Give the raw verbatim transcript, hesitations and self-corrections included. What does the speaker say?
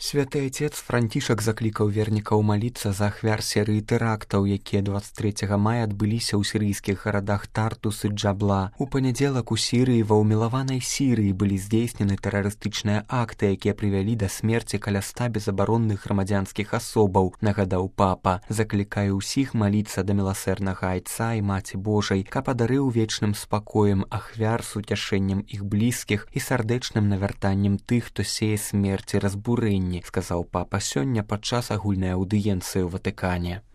Святы Айцец Францішак заклікаў вернікаў маліцца за ахвяр серыі тэрактаў, якія дваццаць трэцяга мая адбыліся ў сірыйскіх гарадах Тартус і Джабла. У панядзелак у Сірыі ва ўмілаванай Сірыі былі здзейснены тэрарыстычныя акты, якія прывялі да смерці каля ста безабаронных грамадзянскіх асобаў, нагадаў папа. Заклікаю ўсіх маліцца да міласэрнага Айца і Маці Божай, каб падарыў вечным спакоем ахвяр з уцяшэннем іх блізкіх і сардэчным навяртаннем тых, хто сее смерць і разбурэнне, сказаў папа сёння падчас агульнай аўдыенцыі ў Ватыкане.